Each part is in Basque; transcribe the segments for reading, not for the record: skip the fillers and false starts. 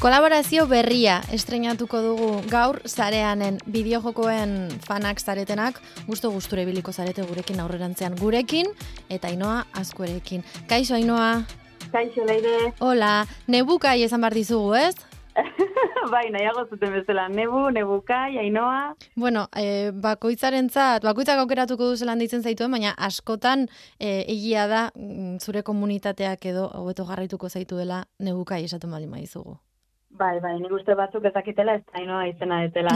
Kolaborazio berria estreinatuko dugu gaur sareanen bideojokoen fanak zaretenak, gusture biliko zarete gurekin aurrerantzean gurekin eta Ainoa Azkuerekin. Kaixo Ainoa. Kaixo Leire. Hola, nebukai esan bar dizugu, ez? Bai, nahiago zuten bezala, nebukai, Ainoa. Bueno, bakoitzak aukeratuko du zelan deitzen zaituen, baina askotan egia da zure komunitateak edo hobeto jarraituko zaituela nebukai esaten baldin badizugu. Bai, nik uste batzuk ezakitela ez Ainoa izena detela.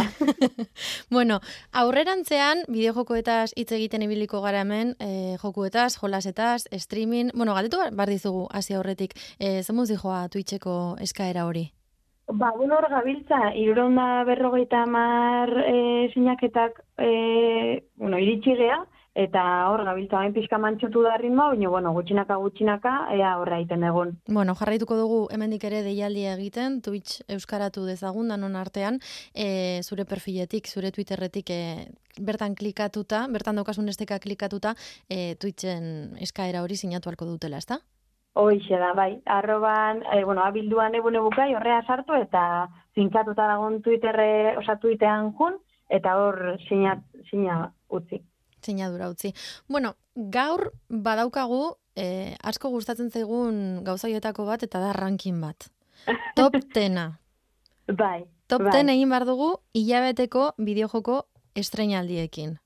Bueno, aurrerantzean bideojokoetaz hitz egiten ibiliko gara hemen, jokuetaz, jolasetaz, streaming, bueno, galdetu bar dizugu hasi aurretik, zemuz dijoa Twitcheko eskaera hori? Hor gabiltza, 350 sinaketak iritsi gea, eta hor gabiltza hain pixka mantxotu da ritmoa, baina gutxinaka, ea horra egiten egon. Bueno, jarraituko dugu hemendik ere deialdia egiten, Twitch euskaratu dezagun danon artean, zure perfiletik, zure Twitterretik bertan klikatuta, bertan daukasun esteka klikatuta, Twitchen eskaera hori sinatu halko dutela, ezta? Hoixe da, bai. Arroban, abilduan nebukai horrea sartu eta zinkatuta dagoen Twittean jun, eta hor sina utzi. Sinadura utzi. Bueno, gaur badaukagu asko gustatzen zaigun gauza horietako bat eta da ranking bat. Top 10. Bai. Top 10 egin bar dugu hilabeteko bideojoko estreinaldiekin.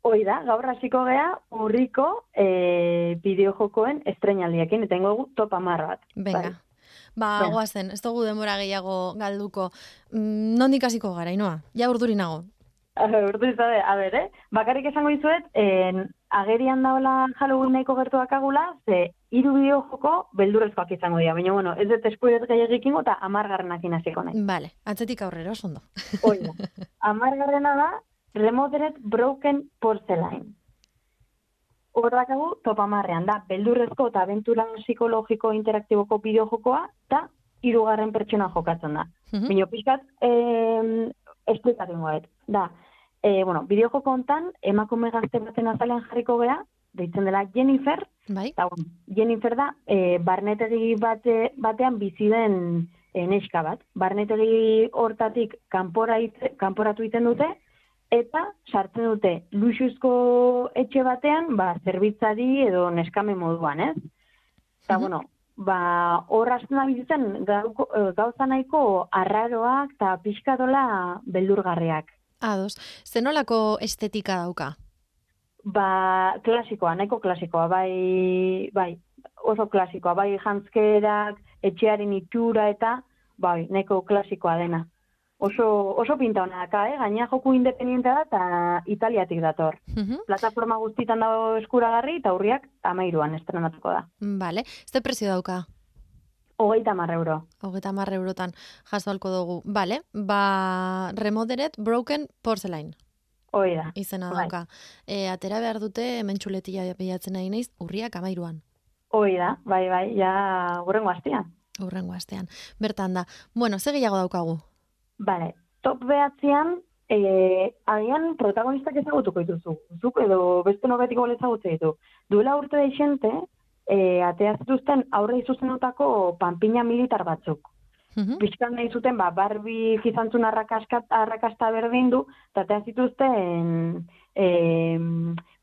Hoi da, gaur hasiko gea urriko bideojokoen estreinaldiekin, eta ingo top 10 bat. Venga. Goazen, ez dugu denbora gehiago galduko. Nondik hasiko gara, Ainoa? Ja urduri nago. Urduri zabe, bakarrik esango dizuet, agerian daola Halloween nahiko gertuak agula, ze 3 bideojoko beldurrezkoak izango dira. Baina, ez dut spoiler gehiagikingo eta 10 hasiko nahi. Vale, atzetik aurrera, oso ondo. Hoi da. 10 da, Remodeled Broken Porcelain. Hordakagu top 10 da, beldurrezko eta abentura psikologiko interaktiboko bideojokoa, eta 3 pertsona jokatzen da. Baina, pixkat, esplikatu ingoet. Da, bideojoko hontan, emakume gazte baten azalean jarriko gea, deitzen dela Jennifer, bai. Eta, Jennifer da, barnetegi batean bizi den neska bat. Barnetegi hortatik kanporatu egiten dute, eta sartzen dute luxuzko etxe batean, zerbitzari edo neskame moduan, ez? Eta, hor hasten da bizitzen gauza nahiko arraroak eta pixkatola beldurgarriak. Ados, zenolako estetika dauka? Klasikoa, nahiko klasikoa, bai, oso klasikoa, bai jantzkerak, etxearen itxura eta, nahiko klasikoa dena. Oso pinta honaka, gaina joku independientea da eta Italiatik dator. Plataforma guztitan dago eskuragarri eta urriak 13an estrenatuko da. Vale, ze prezio dauka? 30 euro. 30 eurotan jaso halko dugu. Vale, Remodeled Broken Porcelain. Hoi da. Izena dauka. Atera behar dute hemen txuletilla bilatzen nahi naiz, urriak 13an. Hoi da, bai, ja hurrengo astean. Hurrengo astean. Bertan da. Bueno, ze gehiago daukagu? Bale, top 9an, agian protagonistak ezagutuko dituzu. Zuk edo beste nobetiko ezagutze ditu. Duela urte deixente, atea zituzten aurre izuzenutako panpina militar batzuk. Bizkan nahi zuten, Barbie izantzun arrakasta berdindu, eta atea zituzten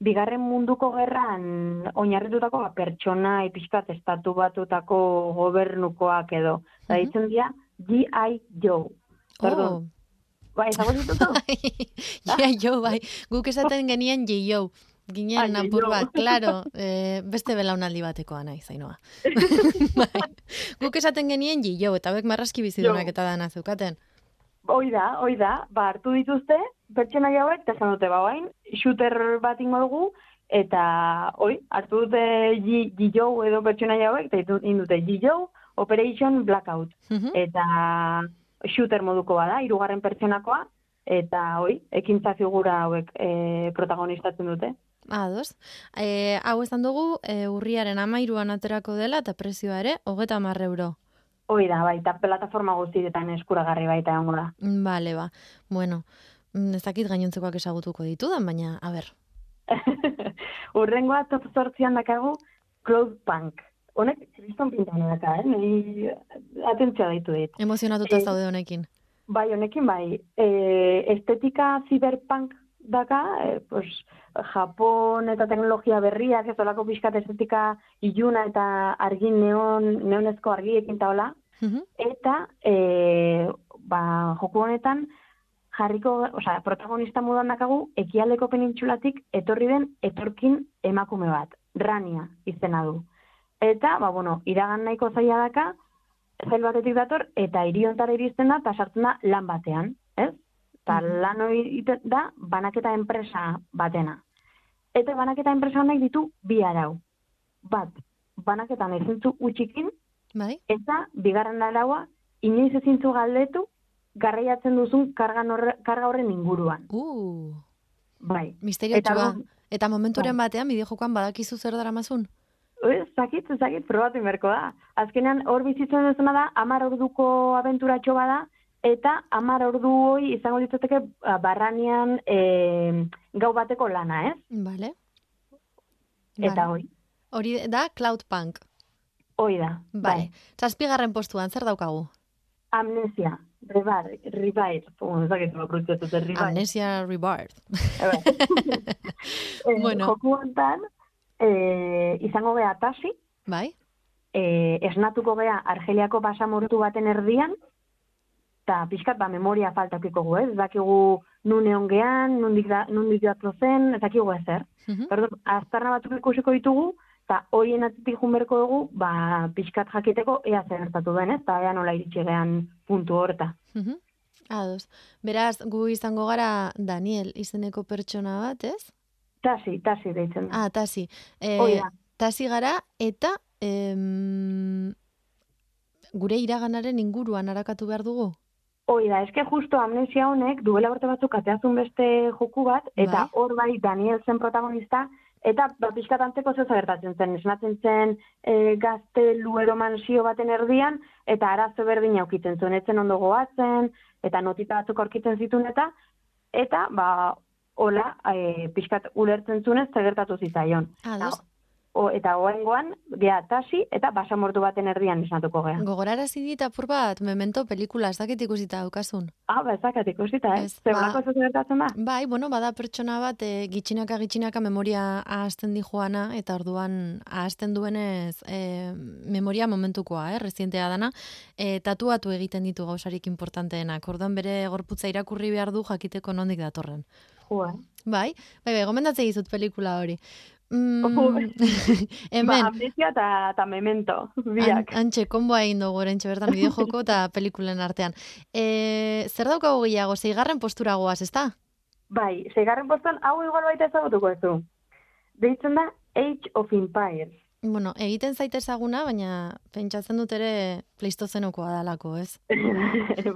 bigarren munduko gerran oinarritutako pertsona pixkat estatu batutako gobernukoak edo. Eta ditzen dira G.I. Joe. Perdón. Ezagun ditutu? G.I. Joe, bai. Guk esaten genien G.I. Ginen apur bat, klaro, beste belaunaldi batekoa nahi, Ainoa. Guk esaten genien G.I. eta hauek marraski bizidunak eta dana zeukaten. Hoi da, hartu dituzte, pertsona hauek, eta esan dute, shooter bat ingo dugu, eta hartu dute G.I. edo pertsona hauek, eta indute G.I. Operation Blackout. Eta shooter moduko bada, 3 pertsonakoa, eta ekintza figura hauek protagonistatzen dute. Ados. Hau esan dugu, urriaren 13an aterako dela, eta prezioa ere, 30 euro. Hoi da, eta plataforma guztietan eskuragarri baita egongo da. Bale, Bueno, ez dakit gainontzekoak ezagutuko ditudan, baina, a ber. Urrengoa top 8an dakagu Cloudpunk. Honek kriston pintana daka, Nei atentzioa daitu dit. Emozionatuta zaude honekin. Bai, honekin bai. Estetika cyberpunk daka, pues, Japon eta teknologia berriak, ez olako pixkat estetika iluna eta argin neonezko argiekin eta hola. Eta, joku honetan, protagonista moduan dakagu, ekialdeko penintxulatik etorri den etorkin emakume bat, Rania izena du. Eta, iragan nahiko zaila daka, zail batetik dator, eta hiriontara iristen da, eta sartzen da lan batean, ez? Eta lan hori da, banaketa enpresa batena. Eta banaketa enpresa honek ditu bi arau. Bat, banaketan ezintzu utxikin, eta bigarren araua, inoiz ezintzu galdetu, garraiatzen duzun karga horren inguruan. Bai. Misteriotxua. Eta momenturen batean, bideojokoan badakizu zer daramazun? Zakit, probatu inberko da. Azkenean, hor bizitzen duzuna da, 10 orduko abenturatxo bada, eta 10 ordu hoi izango ditzateke barranian gau bateko lana, ez? Bale. Eta hoi. Hori da Cloudpunk. Hoi da. Bale. 7. postuan, zer daukagu? Amnesia. Rebirth. Amnesia Rebirth. Joku hontan, izango gea Tasi. Bai. Esnatuko gea Argeliako basamortu baten erdian, eta pixkat memoria faltakiko gu, ez? Dakigu nun egon gean, nundik datu zen, ez dakigu ezer. Aztarna batzuk ikusiko ditugu, eta horien atzitik junberko dugu, pixkat jakiteko ea zer gertatu den, ez? Eta ea nola iritsi gean puntu horta. Ados. Beraz, gu izango gara Daniel izeneko pertsona bat, ez? Tasi deitzen da. Tasi. Tasi gara, eta gure iraganaren inguruan harakatu behar dugu? Hoi da, eske justo Amnesia honek duela urte batzuk ateazun beste joku bat, eta hor bai Daniel zen protagonista, eta pixkat antzeko zeu gertatzen zen. Esnatzen zen gaztelu edo mansio baten erdian, eta arazo berdin aukitzen zuen, etzen ondo goatzen, eta notita batzuk aurkitzen zituen eta hola, pixkat ulertzen zunez, gertatu zitzaion. Eta oengoan, gea Tasi, eta basamortu baten erdian esnatuko gea. Gogorarazi dit apur bat, Memento pelikula, ez dakit ikusita daukasun. Ez dakit ikusita, Zebolako ez gertatzen da? Bai, bada pertsona bat, gitxinaka memoria ahazten di joana, eta orduan ahazten duenez memoria momentukoa, rezientea dana, tatuatu egiten ditu gauzarik importanteenak. Orduan bere gorputza irakurri behar du jakiteko nondik datorren. Bai, gomendatzea dizut pelikula hori. Amnesia eta Memento, biak. Antxe, konboa egin dugu orentxe bertan bideojoko eta pelikulen artean. Zer daukago gehiago, 6. postura goaz, ezta? Bai, 6. postuan hau igual baita ezagutuko ez du. Deitzen da Age of Empires. Egiten zaite ezaguna, baina pentsatzen dut ere pleistozenokoa dalako, ez?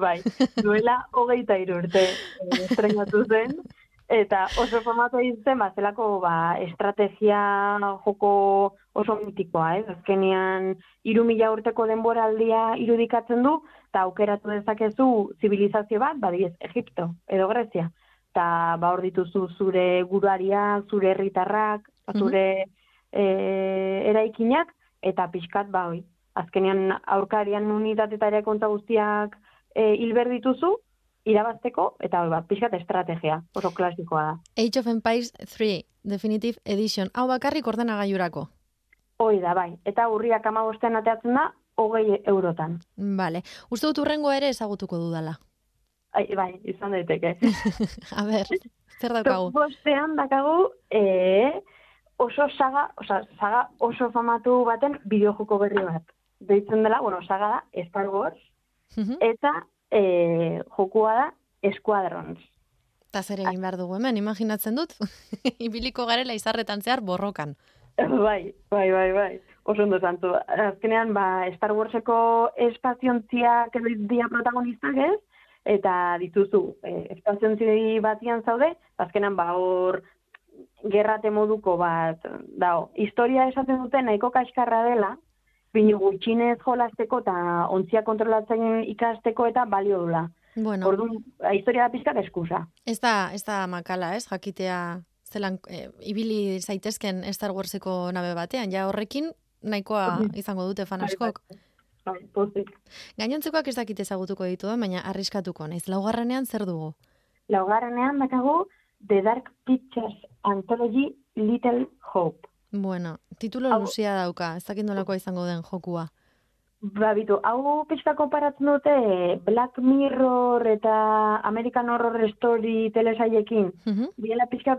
Bai, duela 23 urte estrenatu zen. Eta oso formatua izten, zelako estrategia joko oso mitikoa, Azkenean 3.000 urteko denboraldia irudikatzen du, eta aukeratu dezakezu zibilizazio bat, badiez, Egipto edo Grezia. Eta hor dituzu zure guruariak, zure herritarrak, zure eraikinak, eta pixkat, azkenean aurkarian unitatetarea konta guztiak hilber dituzu, irabazteko, eta pixkat estrategia, oso klasikoa da. Age of Empires 3, Definitive Edition. Hau bakarrik ordenagailurako? Hoi da, bai. Eta urriak 15 ateatzen da, 20 eurotan. Bale. Uste dut urrengo ere ezagutuko dudala. Bai, izan daiteke. A ber, zer daukagu? Bostean dakagu oso saga oso famatu baten bideojoko berri bat. Deitzen dela, saga da, Star Wars, eta jokua da Squadrons. Eta zer egin behar dugu hemen, imaginatzen dut? Ibiliko garela izarretan zehar borrokan. Bai. Oso ondo zantu. Azkenean, Star Warseko espaziontziak dia protagonistak ez, eta dituzu, espaziontzi batian zaude, azkenean hor gerrate moduko bat, historia esaten duten nahiko kaskarra dela, bino gutxinez jolasteko eta ontzia kontrolatzen ikasteko eta balio dula. Orduan, historia da pizkat eskusa. Ez da makala, jakitea zelan ibili zaitezken Star Warseko nabe batean. Ja horrekin, nahikoa izango dute fan askok. Bai, pozik. Gainontzekoak ez dakit ezagutuko ditu, baina arriskatuko naiz. Laugarrenean zer dugu? Laugarrenean dakagu The Dark Pictures Anthology Little Hope. Bueno, titulo luzea dauka, ez dakit nolakoa izango den jokua. Bitu, hau pixka konparatzen dute Black Mirror eta American Horror Story telesaiekin. Biela pixka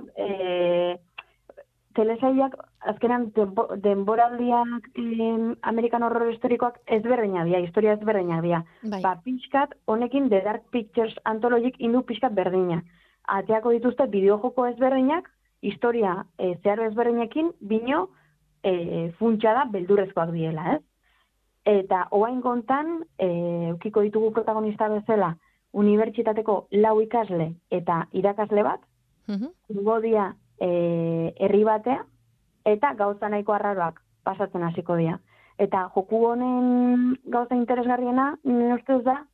telesaiak azkenan denboraldiak American Horror Storykoak ezberdinak dira, historia ezberdinak dira. Bai. Pixkat honekin The Dark Pictures Anthology indu pixkat berdina. Ateako dituzte bideojoko ezberdinak, historia zeharo ezberdinekin, bino funtsa da beldurrezkoak diela, ez? Eta oain kontan, eukiko ditugu protagonista bezala, unibertsitateko 4 ikasle eta irakasle bat, ingo dia herri batea, eta gauza nahiko arraroak pasatzen hasiko dira. Eta joku honen gauza interesgarriena, nire ustez da,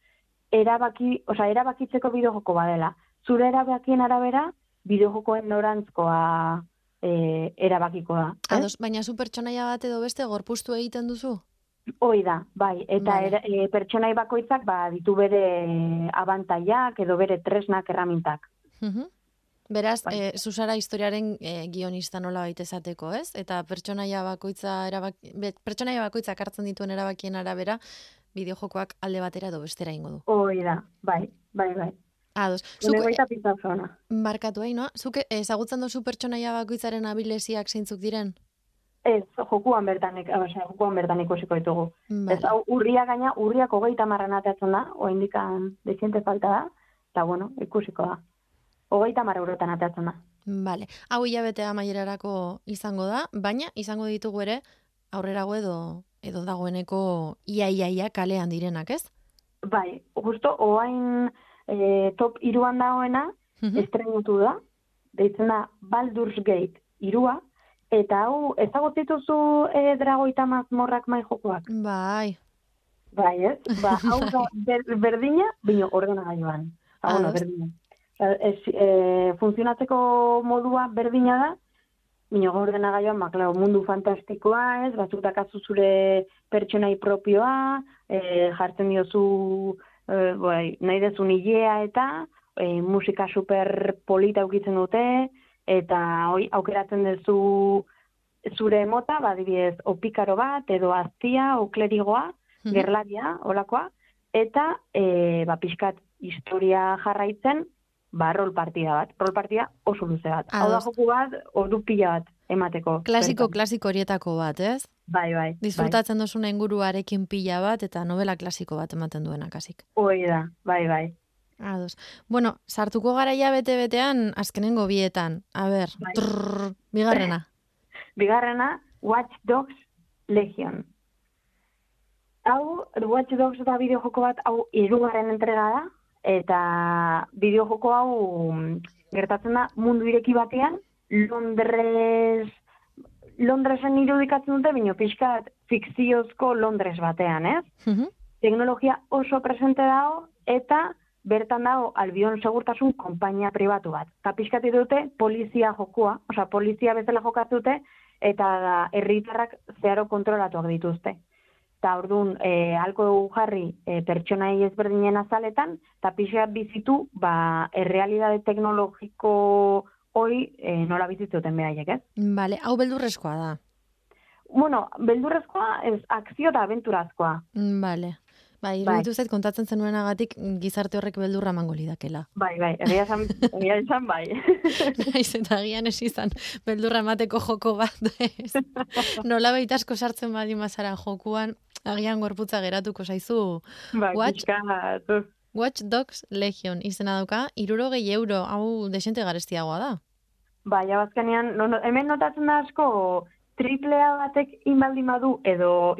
erabakitzeko bideojoko badela. Zure erabakien arabera, bideojokoen norantzkoa erabakiko da. Ados, baina zu pertsonaia bat edo beste gorpuztu egiten duzu? Hoi da, bai. Eta pertsonai bakoitzak ditu bere abantaiak edo bere tresnak erramintak. Beraz, zuzara historiaren guionista nola baita esateko, ez? Eta pertsonaia bakoitzak hartzen dituen erabakien arabera, bideojokoak alde batera edo bestera ingo du. Hoi da, bai. Ados. Barkatu no? Zuk ezagutzen duzu pertsonaia bakoitzaren abilesiak zeintzuk diren? Ez, jokuan bertan ikusiko ditugu. Vale. Ez, hau urriak 30 atatzen da, oindikan deziente falta da, eta bueno, ikusiko da. 30 eurotan atatzen da. Vale. Hau hilabetea amaierarako izango da, baina izango ditugu ere aurrerago edo dagoeneko ia kalean direnak, ez? Bai, justo oain top 3an dagoena estrenutu da, deitzen da Baldur's Gate 3, eta hau ezagutzituzu Dragoita mazmorrak mai jokoak? Bai. Bai, ez? Hau da berdina, bino ordenagailuan. Berdina. Funtzionatzeko modua berdina da, bino ordenagailuan, mundu fantastikoa, ez? Batzutakazu zure pertsonai propioa, jartzen diozu nahi dezun hilea eta musika super polita aukitzen dute, eta aukeratzen duzu zure mota, adibidez, opikaro bat, edo aztia, o klerigoa, gerlaria, olakoa, eta pixkat historia jarraitzen, rol partida bat. Rol partida oso luze bat. Hau da joku bat, ordu pila bat emateko. Klasiko horietako bat, ez? Bai. Disfrutatzen duzuna inguruarekin pila bat, eta novela klasiko bat ematen duena kasik. Hoi da, bai. Ados. Bueno, sartuko garaia bete-betean, azkenengo bietan. A ber, bigarrena. Bigarrena, Watch Dogs Legion. Hau, Watch Dogs da bideojoko bat, hau 3. entrega da, eta bideojoko hau gertatzen da mundu ireki batean, Londresen irudikatzen dute, bino pixkat fikziozko Londres batean, ez? Teknologia oso presente dago, eta bertan dago Albion segurtasun konpainia pribatu bat. Eta pixkati dute polizia jokua, polizia bezala jokatu dute, eta herritarrak zeharo kontrolatuak dituzte. Eta orduan, halko dugu jarri pertsonai ezberdinen azaletan, eta pixkat bizitu, errealidade teknologiko hori nola bizitzuten behaiek, ez? Bale, hau beldurrezkoa da. Bueno, beldurrezkoa ez akzio eta abenturazkoa. Bale. Iruditu zait kontatzen zenuenagatik gizarte horrek beldurra emango lidakela. Bai, egia esan bai. Naiz eta agian ez izan beldurra emateko joko bat. Nola asko sartzen badi mazara jokuan, agian gorputza geratuko zaizu. Watch Dogs Legion izena dauka, 60 euro, hau desente garestiagoa da. Bai, abazkanean, hemen notatzen da asko, AAA batek inbaldin badu, edo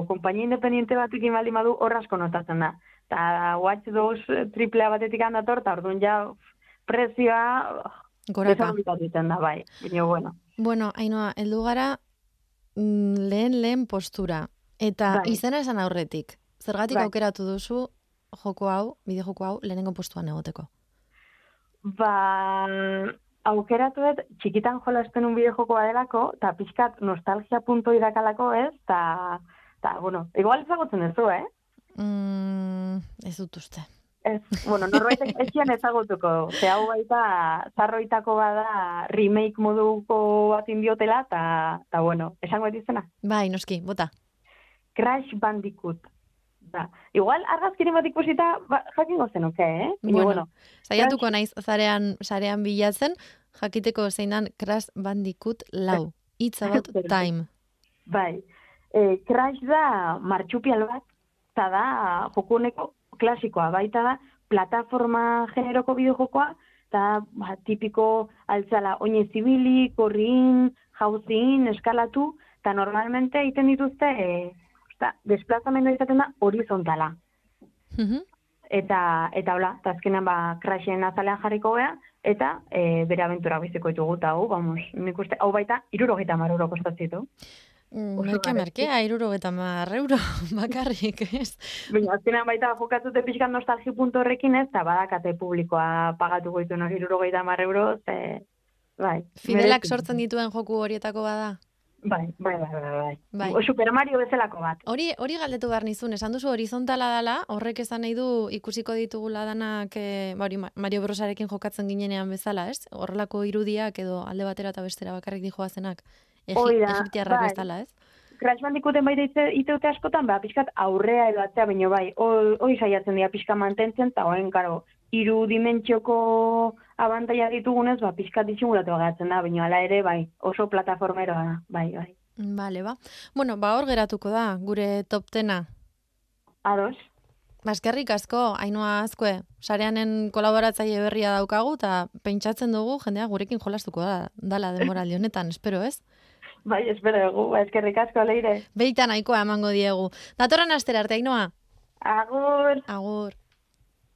kompainia independiente batek inbaldin badu, horrazko notatzen da. Eta Watch Dogs AAA batetik handator, eta orduan ja prezioa desagoitatzen da, bai. Bueno, Ainhoa, heldu gara lehen postura. Eta izena esan aurretik. Zergatik aukeratu duzu joko hau, bideo joko hau, lehenengo postuan egoteko? aukeratu dut txikitan jolasten un bideo-joko badelako, eta pixkat nostalgia punto irakalako ez, eta, bueno, igual ezagutzen duzu, Ez dut uste. Ez, bueno, norbaitek etxian ezagutuko, ze hau baita zarroitako bada remake moduko bat indiotela, eta bueno, esango dituzena. Bai, noski, bota. Crash Bandicoot. Da. Igual argazkiren bat ikusita jakingo zenuke, Bueno, saiatuko naiz sarean bilatzen, jakiteko zeinan Crash Bandicoot 4. It's about time. Bai. Crash da martxupial bat, eta da jokuneko klasikoa, baita da plataforma generoko bideojokoa, eta tipiko altzala oinez ibili, korrin, jauzin, eskalatu, eta normalmente egiten dituzte desplazamendua izaten da horizontala. Eta hola, eta azkenean Crashen azalean jarriko gea, eta bere abentura biziko ditugu, eta nik uste, hau baita 70 euro kostatzitu. Merke, 70 euro bakarrik, ez? Baina, azkenean baita jokatzute pixkan nostalgi puntu horrekin ez, eta badakate publikoa pagatu goitu 70 euro, bai. Fidelak sortzen dituen joku horietako bada? Bai. Super Mario bezalako bat. Hori galdetu behar nizun, esan duzu horizontala dela, horrek esan nahi du ikusiko ditugula danak Mario Brosarekin jokatzen ginenean bezala, ez? Horrelako irudiak edo alde batera eta bestera bakarrik dijoazenak. Egiptiarrak bezala, ez? Crash Bandicooten bai iteute askotan, pixkat aurrea edo atzea, baina bai, hori saiatzen dira pixka mantentzen, eta horren, karo, 3 dimentsioko abantaia ditugunez, pixkat disimulatu agatzen da, baina ala ere, bai, oso plataformeroa da, bai. Bale, Bueno, hor geratuko da, gure top 10. Ados. Eskerrik asko, Ainhoa Azkue, sareanen kolaboratzaile berria daukagu, eta pentsatzen dugu jendea gurekin jolastuko dala denboraldi honetan, espero, ez? Bai, espero dugu, eskerrik asko, Leire. Beita nahikoa emango diegu. Datorren astera arte, Ainhoa. Agur. Agur.